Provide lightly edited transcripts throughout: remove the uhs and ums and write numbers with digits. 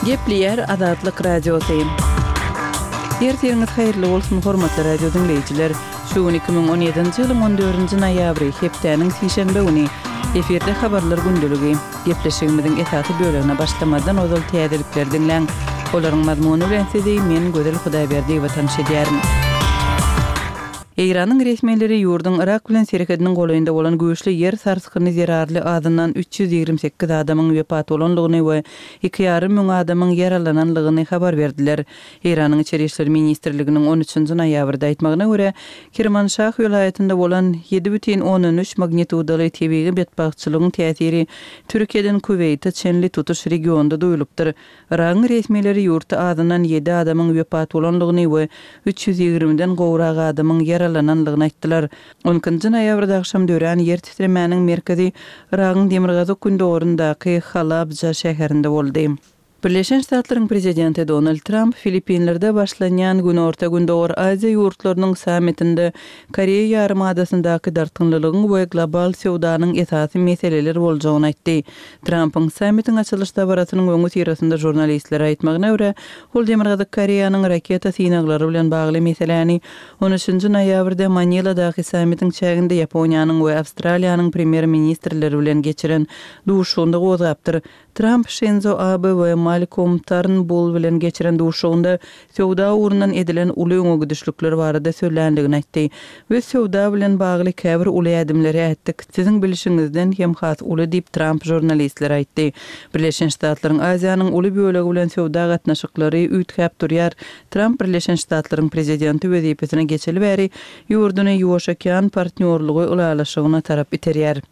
Gepleýär Azatlyk Radiosy. Ertiriňiz haýyrly bolsun, hormatly radio diňleýjiler! Şu gün 2017-nji ýylyň on dördünji noýabry, hepdäniň sişenbe güni. Efirde Habarlar gündeligi. Gepleşigimiziň esasy bölegine başlamazdan ozal täzelikleri diňläň. Olaryň mazmuny bilen sizi men, Gözel Hudaýberdiýewa tanyş edýärin. Eýranyň resmileri ýurduň Yrak bilen serhediniň golaýynda bolan güýçli ýer sarsgyny zerarly azyndan 328 adamyň wepat bolandygyny we iki ýarym müň adamyň ýaralananlygyny habar berdiler. Eýranyň Içeri işler ministrliginiň on üçünji noýabrda aýtmagyna görä, Kirmanşah welaýatynda bolan ýedi bütin ondan üç magnitudaly tebigy betbagtçylygyň täsiri Türkiýeden Kuweýte çenli tutuş regionda duýulypdyr. Yragyň resmileri ýurtda azyndan ýedi adamyň wepat bolandygyny we 320-den gowrak adamyň ýaralanandygyny aýtdylar. On ikinji noýabrda agşam dörän ýer titremäniň merkezi Yragyň demirgazyk-gündogaryndaky Halabja şäherinde boldy. Birleşen Ştatlaryň prezidenti Donald Tramp Filippinlerde başlanýan Günorta-Gündogar Aziýa ýurtlarynyň sammitinde Koreýa ýarymadasyndaky dartgynlylygyň we global söwdanyň esasy meseleler boljagyny aýtdy. Trampyň sammitiň açylyş dabarasynyň öňüsyrasynda žurnalistlere aýtmagyna görä, ol Demirgazyk Koreýanyň raketa synaglary bilen bagly meseläni on üçünji noýabrda Maniladaky sammitiň çäginde Ýaponiýanyň we Awstraliýanyň premýer-ministrleri bilen geçiren duşuşygynda gozgapdyr. Tramp Şinzo Abe we Malkolm Tarnbull bilen geçiren duşuşygynda söwda ugrundan edilen uly öňe gidişlikler barada sözländigini aýtdy. Biz söwda bilen bagly käbir uly ädimleri ätdik, siziň bilşiňizden hem has uly diýip, Tramp žurnalistlere aýtdy. Birleşen Ştatlaryň Aziýanyň uly bölegi bilen söwda gatnaşyklary üýtgäp durýar. Tramp Birleşen Ştatlaryň prezidenti wezipesine geçeli bäri ýurduny Ýuwaş okean partnýorlygy ylalaşygyna tarap iterýär.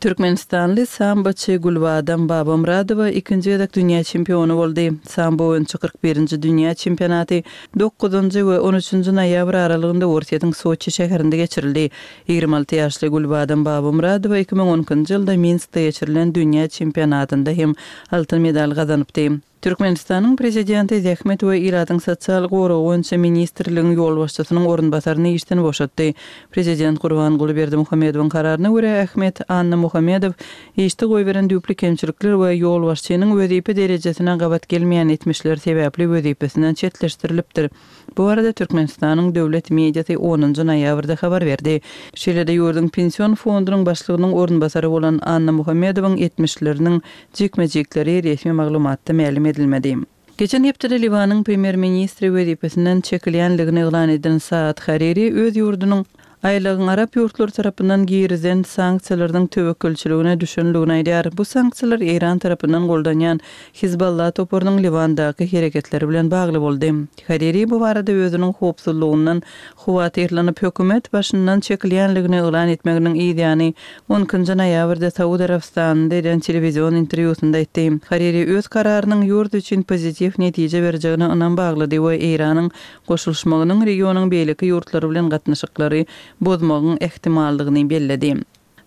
Türkmenistanly samboçy Gülbadam Babamyradowa ikinji gezek dünýä çempiony boldy. Sambo boýunça 41-nji dünýä çempionaty dokuzynjy we on üçünji noýabr aralygynda Orsýetiň Soçi şäherinde geçirildi. 26 ýaşly Gülbadam Babamyradowa 2012-nji ýylda Minskde geçirilen dünýä çempionatynda hem altyn medal gazanypdy. Türkmenistanyň Prezidenti Zähmet we ilatyň sosial goragy boýunça ministrligiň ýolbaşçysynyň orunbasaryny işden boşatdy. Prezident Gurbanguly Berdimuhamedowyň kararyna görä, Ahmet Annamuhamedow işde goýberen düýpli kemçilikler we ýolbaşçynyň wezipe derejesine gabat gelmeýän etmişleri sebäpli wezipesinden çetleşdirilipdir. Bu barada Türkmenistanyň döwlet mediasy onunjy noýabrda habar berdi. Şeýle-de ýurduň Pension fondunyň başlygynyň orunbasary bolan Annamuhammedowyň etmişleriniň jikme-jikleri resmi maglumatda mälim edilmedi. Geçen hepdede Liwanyň premýer-ministri wezipesinden çekilýändigini yglan eden Saad Hariri öz ýurdunyň Aýlagyň arap ýurtlary tarapyndan girizen sanksiýalarynyň töwekgelçiligine düşenligini aýdýar. Bu sanksiýalar Eýran tarapyndan goldanýan Hizballah toparynyň Liwandaky hereketleri bilen bagly boldy. Hariri bu barada özüniň howpsuzlygyndan howatyrlanyp, hökümet başyndan çekilýänligini yglan etmeginiň yz ýany on ikinji noýabrda Saud Arabystanynda eden telewizion interwýusynda aýtdy. Hariri öz kararynyň ýurt üçin pozitiw netije berjegine ynam baglady we Eýranyň goşulyşmagynyň regionyň beýleki ýurtlary bilen gatnaşyklary bozmagyň ähtimallygyny belledi.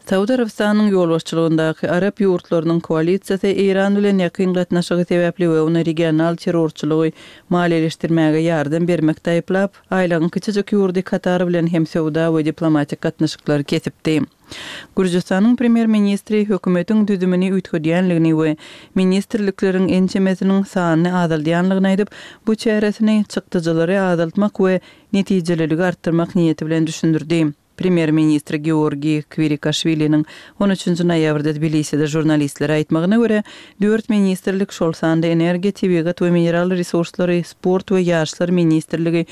Saud Arabystanynyň ýolbaşçylygyndaky arap ýurtlarynyň koalisiýasy Eýran bilen ýakyn gatnaşygy sebäpli we ony regional terrorçylygy maliýeleşdirmäge ýardam bermekde aýyplap, aýlagyň kiçijik ýurdy Katar bilen hem söwda we diplomatik gatnaşyklary kesipdi. Gürjüstanyň premýer-ministri hökümetiň düzümini üýtgedýänligini we ministrlikleriň ençemesiniň sanyny azaldýanlygyny aýdyp, bu çäresini çykdajylary azaltmak we netijeliligi artdyrmak niýeti bilen düşündirdi. Premýer-ministr Georgiý Kwirikaşwiliniň on üçünji noýabrda Tbiliside žurnalistlere aýtmagyna görä, dört ministrlik, şol sanda Energiýa, tebigat we mineral resurslary, Sport we ýaşlar ministrligi,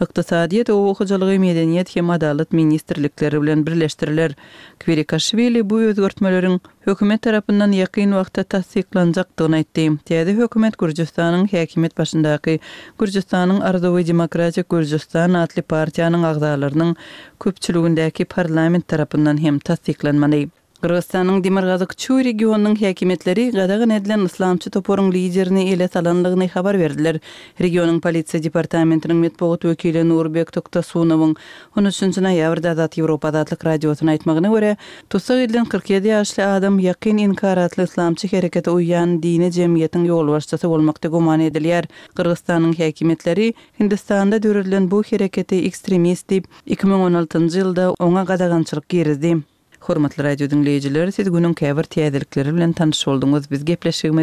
Ykdysadyýet, Oba hojalygy, Medeniýet hem Adalat ministrlikleri bilen birleşdiriler. Kwirikaşwili bu özgertmeleriň hökümet tarapyndan ýakyn wagtda tassyklanjakdygyny aýtdy. Täze hökümet Gürjüstanyň häkimiýet başyndaky Gürjüstanyň Arzuwy Demokratik Gürjüstan atly partiýanyň agzalarynyň köpçüligindäki parlament tarapyndan hem tassyklanmaly. Gyrgyzystanyň demirgazyk Çuý regionynyň häkimiýetleri gadagan edilen yslamçy toparyň liderini ele salandygyny habar berdiler. Regionyň polisiýa departamentiniň metbugat wekili Nurbek Toktasunowyň on üçünji noýabrda Azat Ýewropa Azatlyk Radiosyna aýtmagyna görä, tussag edilen 47 ýaşly adam Ýakyn Inkar atly yslamçy herekete uýýan dini jemgyýetiň ýolbaşçysy bolmakda güman edilýär. Gyrgyzystanyň häkimiýetleri Hindistanda döredilen bu hereketi ekstremist diýip, 2016-njy ýylda oňa gadagançylyk girizdi. Hormatly radio diňleýjiler, siz günüň käbir täzelikleri bilen tanyş bolduňyz. Biz gepleşigimizi.